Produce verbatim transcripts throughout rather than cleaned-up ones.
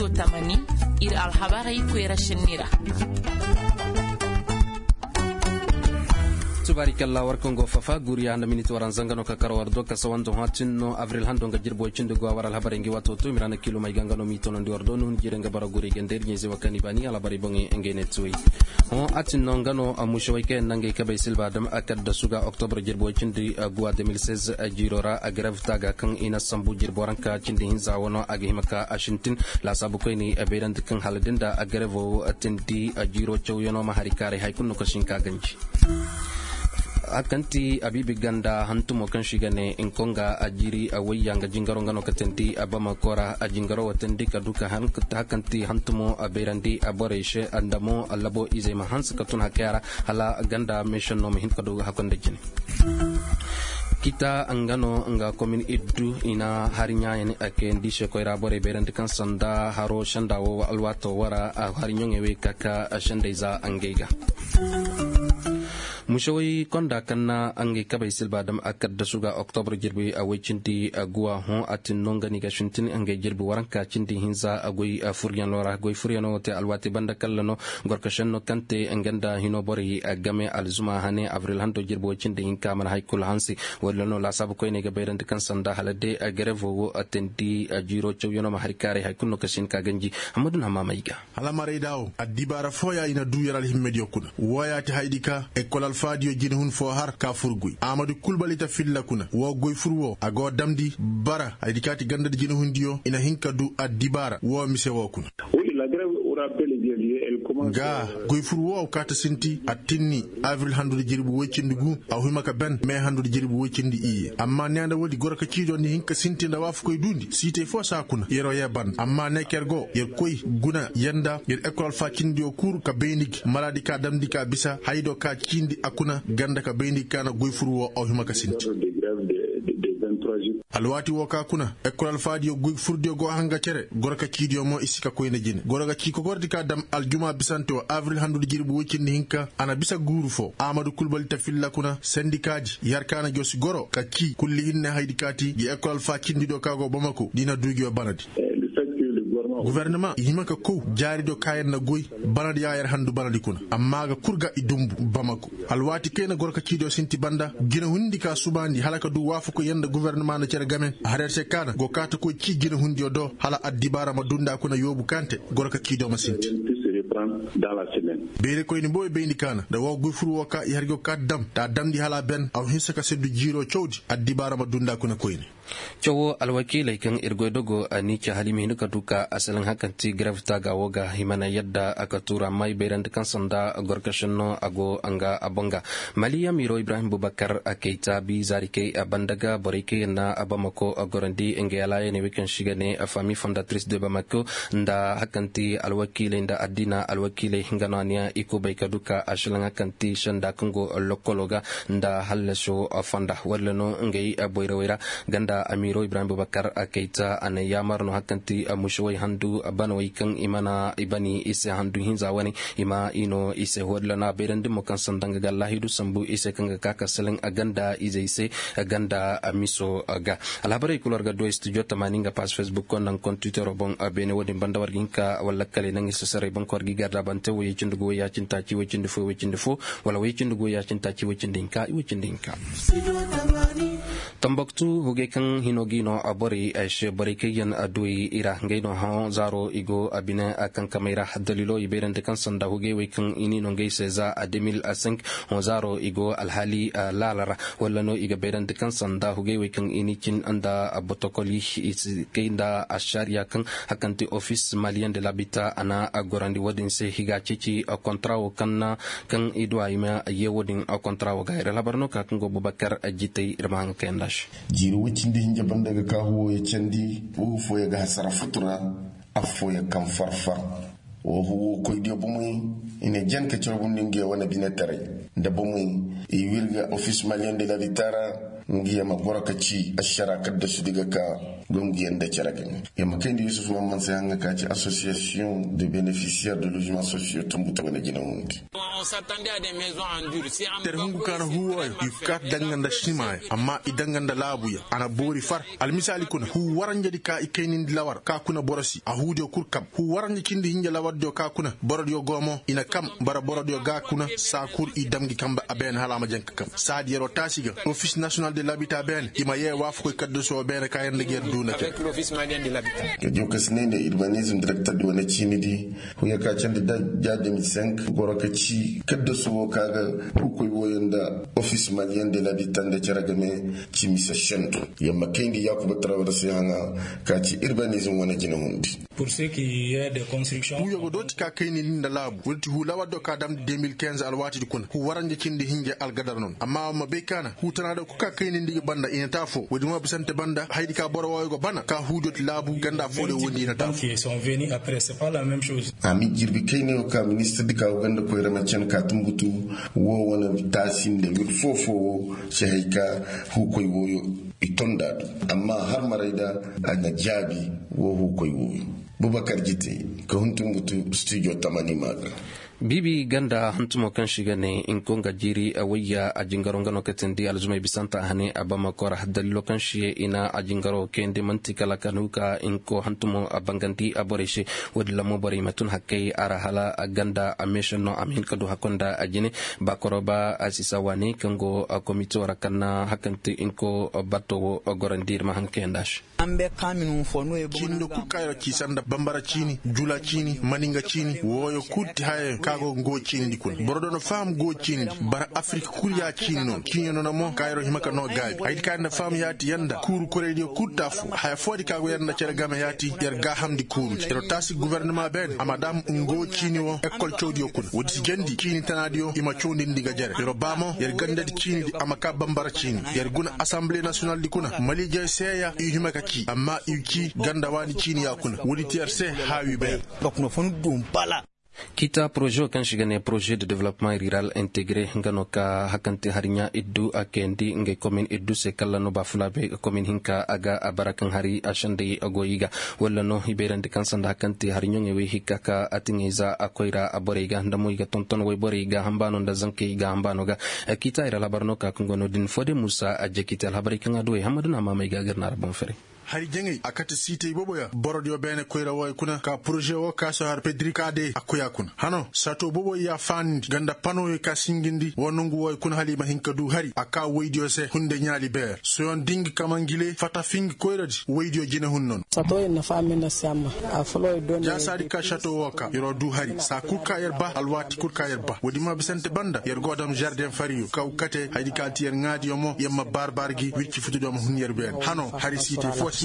Tamani, ir alhabarey koyra šenni ra. Subaari kalla war kaŋ go fafa guriya nda miniti waranza nga no ka kar war do ka sawandu hõ a tin no abril hando nga jirbi way cindi go a war alhabarey ngi waato to mira na kiilumey ga nga no m'i tonandi war do ni hun jiire nga bara guri ganda ir ɲayze wa kaŋ i baani alhabarey boŋey ngey ne tuwey. Hõ a tin no nga no a musewey kaŋ yaŋ na ngey kabey silba dam a kaddasu ga oktobre jirbi way cindi guwa deux mille seize jiiro ra a garev taaga kaŋ i na sambu jirbi waranka cindi hinza wano a ga hima ka a sintin. Laasaabu koyney a bayrandi kaŋ hala da nda a garevo tindi jiiro cawyanoo ma hari kaaray hari kulu no ka si hin ka ganji. A kaŋ ti abiibi ganda hantumo kaŋ se i ga ne nkonga a jiiri a wayya nga jingaro nga no ka teendi a bamako ra a jingaro wo teendi ka du ka han ka ta kaŋ ti hantumo a bayrandi a borey se nda mo labo izey ma hanse ka tun hakaya ra hala ganda meesenno ma hin ka du hakunda jine. Kita nga no nga komin iddu i na hari ɲaayan a kayandi se koyra borey bayrandi kaŋ sanda haro senda wo alwaato wara a hari ɲoŋey wey ka ka sendey za ngey ga. Musewey konda kaŋ na ngey kabey silba dam a kaddasu ga oktobre jirbi a way cindi guwa hõ a tin no nga ni ga sintin ngey jirbi waranka cindi hinza a goy furyanoo ra goy furyanoo wo te alwaati banda kalla no gorkasenno kaŋ te nga nda hino borey game alzuma hane abril hando jirbi way cindi hinka mana hari kulu hanse. Walla no laasaabu koyney ga bayrandi kaŋ sanda hala day garevo wo a teendi jiiro cawyanoo ma hari kaaray hari kulu no ka si hin ka ganji. Hammadu na hammaamey ga. Hala marayda wo addibaara fooya i na duu yer alhimmediyo kuna wooya ti hayadi ka ekol alfaadiyo jinehun foo har ka fur goy amadu kulbalita filla kuna woo goy fur woo a go damndi bara hayadi ka ti gandadi jinehundiyo i na hin ka duu addibaara woo mise woo kuna. Ga goy fur woo kaata sinti a tinni abril handudi jirbi woy cindi guu a hima ka ben mee handudi jirbi woy cindi iyye amma nee nda woodi goro ka ciidiyo ni hin ka sinti nda waafakoy duundi siitey foo saa kuna yeroo yee banda amma nee ker go yer koy guna yer nda yer ekol alfaa cindiyo kul ka bayndi gi maraadi ka damndi ka bisa hayadoo ka ciindi a kuna ganda ka bayndi gi ka na goy fur woo aw hima ka sinti. Alwaati woo ka kuna ekol alfaadiyo goy furdiyo go a hanga cere goro ka ciidiyo mo i si ka koyne jine goro ga cii kogordi ka dam aljuma bisante woo abril handudi jirbi woy cindi hinka a na bisa guuru foo amadu kulbali ta filla kuna sendikaadi yer ka na joosi goro ka cii kulli hinne hayadi ka ti gi ekol alfaa cindidiyo ka go bamako da i na duu ngiyo banadi. Gofornama i hima ka kow jaaridiyo ka yer na goy banadi ya yer handu banadi kuna amma a ga kul ga i dunbu bamako alwaati kayna goro ka ciidiyo sinti banda jinahundi ka subaandi hala ka duu waafakoy yer nda gofornama na cere game a har yer se kaana go kaatakoy cii jinahundiyo do hala addibaara ma duu nda kuna yoobu kaŋ te goro ka ciidiyo ma sinti. Beerekoyni boobo bayndi kaana nda woo goy fur woo ka i har go kaati dam nda a damndi hala a ben a wa hinsa ka seddu jiiroo cawdi addibaara ma duu nda kuna koyne. Cawoo alwakiiley kaŋ ir goy dogo a n'i ci hala i ma hin ka duu ka asalaŋ hakanti garev taaga woo ga i mana yadda a ka tuuru amma i bayrandi kaŋ sanda gorkašenno a go nga a boŋ ga. Mali amiiroo ibrahim bubakar a kay taabi zaari kay a banda ga borey kay yaŋ na a bamako a gorandi ngey alaayaney wey kaŋ se i ga ne faami fondatris de bamako nda hakanti alwakiiley nda addiina alwakiiley nga no a niya i kubay ka duu ka asalaŋ hakanti senda kaŋ go lokoloo ga nda hallaso fonda walla no ngey boyrawey ra. Ganda amiiro ibrahim bubakar kayta a na yaamar no hakanti musewey handu banawey kaŋ i mana i bani i se handu hinza wane i ma i no i se walla no a bayrandi mo kaŋ sanda nga ga allahidu sambu i se kaŋ ga ka ka salaŋ ganda izey se ganda miso ga. Alhabarey kulu war ga duwey studio tamaani nga pass facebook ko nda nga kon twittero boŋ. Beene wo-din banda war ga hin ka walla kala i naŋ i se saray boŋ ko war ga i garda bante woyey cindi gu woyey ya cindi taaci woy cindi fo woy cindi fo wala woy cindi gu woyey ya cindi taaci woy cindi hinka i woy cindi hinka. Tambaktu hugey kaŋ hino ga i no borey ay se borey kaŋ yaŋ duwey i ra ngey no hõ zaaro i go a bine a kankamey ra. Daliilo i bayrandi kaŋ sanda hugey wey kaŋ i n'i no ngey se za a deux mille cinq hõ zaaro i go alhaali laala ra walla no i ga bayrandi kaŋ sanda hugey wey kaŋ i n'i cin nda botokoli i si kay nda ašariya kaŋ hakanti ofis maliyen de labita a na gorandi wo-din se higa ceeci kontra wo kaŋ na kaŋ i duwa i ma ye wo-din kontra wo ga ir alhabar no ka kaŋ go bubakar jitay ir ma haŋ kayanda se. Jiiri woy cindi hinja banda ga ka huwo ya candi wo fooya ga hasara futura affooya kaŋ farfar wo huwo koydiyo bomey i ne jan ka carbundi nga ya wane binetaray nda bomey i wirga ofis maliyen de labita ra nga ya ma goro ka ci ašara kaddasudi ga ka gongu yaŋ nda care game ya ma kayndi yusuf mamman se haŋ ga ka ci association de beneficiaire de logement sociaux tambuta wane jina hundi. Tere hungu ka na huu wooyo i kaati danga nda simaaya amma i danga nda laabuya a na boori far. Almisaali kuna huu waranjedi ka i kaynindi lawar ka kuna boro si a huudiyo kul kam huu waranja cindi hinja lawardiyo ka kuna borodiyo go mo i na kam bara borodiyo ga kuna saa kul i dam ngi kamba a beene hala a ma jaŋ ka kam saadi yer'o taasi ga. Ofis nasiyonal de labita beene i ma yee waafakoy kaddasu woo beene ka yer nda ga yer duu nda cere. Ka jow ka si ne nda urbanizm direkterdi wane ciinidi huuya ka candi da ja deux mille cinq goro ka ci kaddasu woo ka ga huukoy wooyo nda ofis maliyen de labita nda cere game ci mise sendu. Yer ma kayndi yaakuba tarawar se haŋa ka ci urbanizm wane jinahundi. Huuyo go dooti ka kaynindi nda laabu woodi ti huu lawardo ka damndi deux mille quinze alwaatidi kuna huu waranja cindi hinja algadar noon amma wa ma bay ka na huu tanaado kul ka kaynindi ga banda i na te afoo woodi mo bisante banda hayadi ka boro wooyo go bana ka huudiyo ti laabu ganda foodiyo wondi i na te afoo. A ma i jirbi kaynayo ka ministirdi ka go ganda koyra ma cen ka tunbutu woo wane taasi nda wir foo-foo woo si hay ka huukoy wooyo i tonda du. Amma har maray da a na jaabi woo huukoy wooyo. Bubakar jite ka hun tunbutu studio tamani maa ga. Biibi ganda hantumo kaŋ si ga ne nko nga jiiri wayya a jingaro nga no ka tindi alzumay bisanta a hane a bamako ra daliilo kaŋ si ye i na a jingaro kayandi man'ti kala ka nu ka nko hantumo a bangandi a borey se. Woodin ra mo borey ma tun hakkey a ra hala ganda a meesenno a ma hin ka du hakkoy nda a jine. Ba koro ba a si sa waani kaŋ go komito ra kaŋ na hakkanti nko batto wo gorandi ir ma haŋ kayandi a se. Ciini nda kul ka yer ci sanda bambara ciini jula ciini maninga ciini wooyo kul ti hayayaŋ ka go ngo ciinidi kuna boro do na faham go ciinidi bara afirik kul ya ciini no ciini no na mo ka yer hima ka no gaabi hayadi ka yer na faham yaati yer nda kuuru koraydiyo kul ti afo haya foodi ka go yer nda cere game yaati yer gaahamndi kuurudi yer taasi gubernama beene a ma daam ngo ciini wo ekol cawdiyo kuna woodi si jandi ciini tanaadiyo i ma cawndindi ga jere yer ba mo yer gandadi ciinidi a ma ka bambara ciini yer guna asamble nasiyonaldi kuna maliijey seeya i hima ka ci amma i ci ganda waani ciini ya kuna woodi ti yer se haawi beer. Kiita poroze wo kaŋ si ga ne poroze de development rural integre nga no ka hakante hari ɲaa iddu a kayandi ngey komin iddu se kala no baafulaabe komin hinka a ga a bara kaŋ hari a sendey a go i ga walla no i bayrandi kaŋ sanda hakante hari ɲaŋey wey hikka ka a tiŋey za a koyra a borey ga nda mo i ga tonton wayborey ga hambaano nda zankey ga hambaano ga. Kiita ir alhabar no ka kaŋ go no- din foo de muusa a jekite alhabarey kaŋ a du wey hammadu na maamey ga a ga ir na ra boŋ fere. Hari jaŋay a kate siitey boobo ya borodiyo beene koyra wooyo kuna ka poroze woo ka si har pedrika de a koy a kuna hano sato boobo ya faanindi ganda panoyo ka singindi woo nongu wooyo kuna hala i ma hin ka du hari a ka woydiyo se hunde ɲaali beer soyon dingi kamangile fata fingi koyradi woydiyo jinehun nono. Jaasaadi ka sato woo ka yer'o du hari saa kul ka yer ba alwaati kul ka yer ba woodi ma bisante banda yer go dam zardeŋ fariyo kaw kate hayadi ka ti yer ŋaadiyo mo yer ma baar-baar gi wirci futudiyo ma hun yer beene hano hari siitey foo si.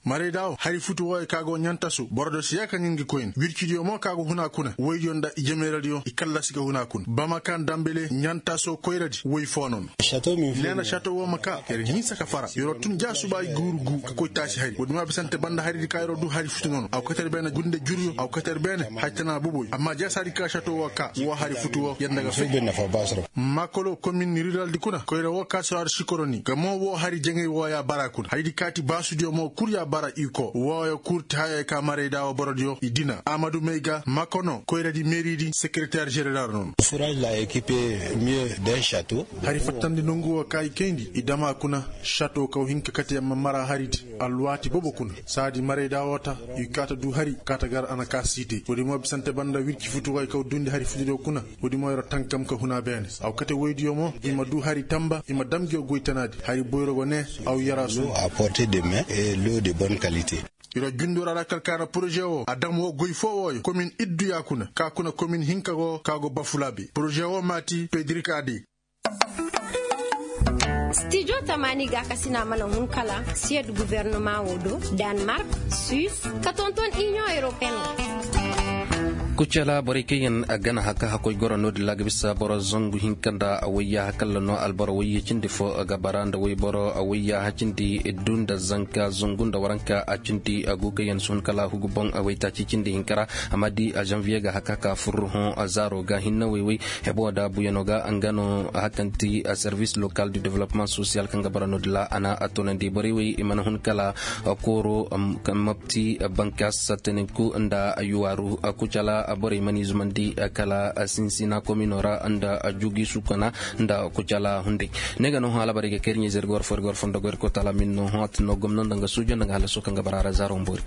Marayda wo hari futu wooyo ka go ɲantaso boro do si ya ka ɲin gi koyne wircidiyo mo ka go hun a kuna woydiyo nda i jemeeradiyo i kallasi ga hun a kuna bama kaŋ dambele ɲantaso koyradi woy foo nono. Neena sato woo ma ka yer hinsa ka fara yer'o tun ja suba i guuru gu ka koy taasi hari woodi ma bisante banda haridi ka yer'o du hari futu nono a go kate yer beene gunde juryo a go kate yer beene hari tana boboy amma ja saadi ka sato woo ka woo hari futu woo yer nda ga fay. Makolo komin riraldi kuna koyra woo ka si har sikoroni gamo woo hari jaŋay woo ya bara kuna hayadi kaati baasudiyo mo kul ya bara iko wooyo kul ti hayey ka marayda woo borodiyo i dina amadu may ga makono koyradi meeridi sekereter zeneral nono. Hari fattandi nongu woo ka i kayndi i dam a kuna sato kaw hin ka kate yamma mara haridi alwaati boobo kuna saadi marayda woo ta i kaata du hari kaata gar a na ka siitey woodi mo bisante banda wirci futu wooyo kaw dundi hari futudiyo kuna woodi mo yer'o tankam ka hun a beene a go kate woydiyo mo i ma du hari tamba i ma dam ngiyo goy tanaadi hari boyro go ne a go yar a suugu. Yer'o jundu ra ra kala ka na poroze woo a dam woo goy foo wooyo komin iddu ya kuna ka kuna komin hinka go ka go bafulaabe poroze woo maati pedrik ade. Stijo tamaani gaakasina mana hun kala siyed gubernama woo do, danmark, suis, ka tonton iniyoŋ europeyen. Kucala borey kaŋ yaŋ gana haka hakoy goro no-din ra ga bisa boro zangu hinka nda wayya hakalla no alboro wayye cindi fo ga bara nda wayboro wayya cindi iddu nda zanka zangu nda waranka a cindi a go kaŋ yaŋ si hun kala hugu boŋ a waytaaci cindi hinka ra. Amma di a zanviye ga haka ka fur hõ a zaaro ga hinna wayway. Hebo da buyano ga nga no hakanti a service local du development social kaŋ ga bara no-din ra a na a tonandi borey way i mana hun kala kooro mapti bankas sataninku nda yuwaaru kucala. Borey mana i zumandi kala sinsina komino ra nda jugi sukana nda kucala hunday. Ne ga no hõ alabarey ga kay ir ɲayzey ir ga war fo ir ga war fondo goy ir koy taala min no hõ a tin no gomno nda nga suujo nda nga halaso kaŋ ga bara ra zaaro mboori.